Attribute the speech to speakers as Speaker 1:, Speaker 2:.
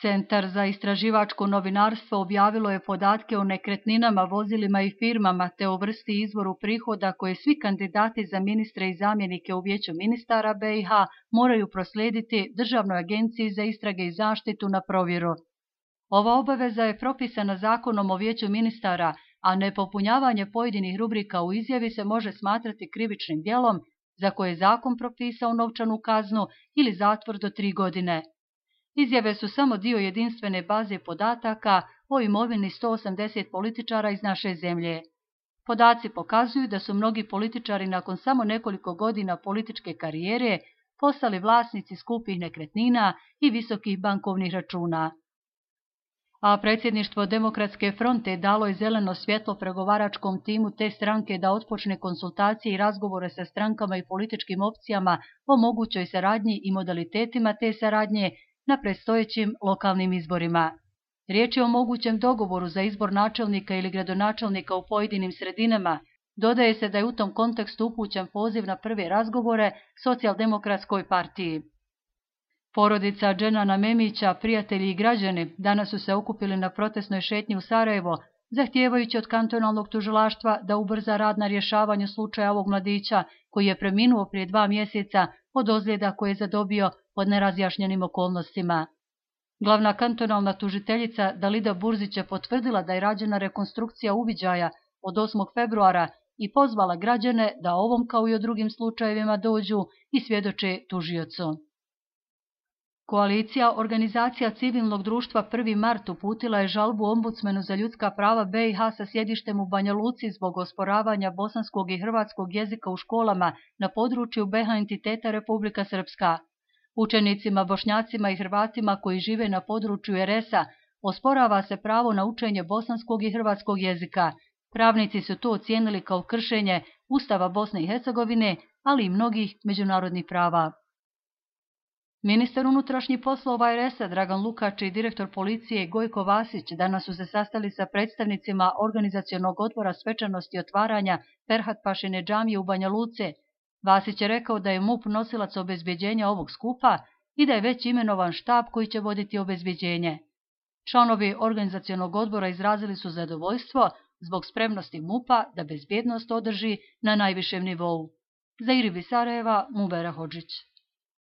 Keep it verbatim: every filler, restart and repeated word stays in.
Speaker 1: Centar za istraživačko novinarstvo objavilo je podatke o nekretninama, vozilima i firmama te o vrsti i izvoru prihoda koje svi kandidati za ministre i zamjenike u Vijeću ministara B i H moraju proslijediti Državnoj agenciji za istrage i zaštitu na provjeru. Ova obaveza je propisana Zakonom o Vijeću ministara, a nepopunjavanje pojedinih rubrika u izjavi se može smatrati krivičnim djelom za koje je zakon propisao novčanu kaznu ili zatvor do tri godine. Izjave su samo dio jedinstvene baze podataka o imovini sto osamdeset političara iz naše zemlje. Podaci pokazuju da su mnogi političari nakon samo nekoliko godina političke karijere postali vlasnici skupih nekretnina i visokih bankovnih računa. A predsjedništvo Demokratske fronte dalo je zeleno svjetlo pregovaračkom timu te stranke da otpočne konsultacije i razgovore sa strankama i političkim opcijama o mogućoj saradnji i modalitetima te saradnje na predstojećim lokalnim izborima. Riječ je o mogućem dogovoru za izbor načelnika ili gradonačelnika u pojedinim sredinama. Dodaje se da je u tom kontekstu upućen poziv na prve razgovore Socijaldemokratskoj partiji. Porodica Dženana Memića, prijatelji i građani danas su se okupili na protestnoj šetnji u Sarajevo, zahtijevajući od kantonalnog tužilaštva da ubrza rad na rješavanju slučaja ovog mladića koji je preminuo prije dva mjeseca od ozljeda koje je zadobio pod nerazjašnjenim okolnostima. Glavna kantonalna tužiteljica Dalida Burzić je potvrdila da je rađena rekonstrukcija uviđaja od osmog februara i pozvala građane da ovom kao i o drugim slučajevima dođu i svjedoče tužiocu. Koalicija organizacija civilnog društva prvi mart uputila je žalbu ombudsmenu za ljudska prava B i H sa sjedištem u Banja Luci zbog osporavanja bosanskog i hrvatskog jezika u školama na području B i H entiteta Republika Srpska. Učenicima, Bošnjacima i Hrvatima koji žive na području R S-a osporava se pravo na učenje bosanskog i hrvatskog jezika. Pravnici su to ocijenili kao kršenje Ustava Bosne i Hercegovine, ali i mnogih međunarodnih prava. Ministar unutrašnjih poslova R S-a Dragan Lukač i direktor policije Gojko Vasić danas su se sastali sa predstavnicima organizacionog odbora svečanosti otvaranja Ferhat Pašine džamije u Banja Luce. Vasić je rekao da je M U P nosilac obezbjeđenja ovog skupa i da je već imenovan štab koji će voditi obezbjeđenje. Članovi organizacionog odbora izrazili su zadovoljstvo zbog spremnosti M U P-a da bezbjednost održi na najvišem nivou. Za Iribi Sarajeva, Mubera Hodžić.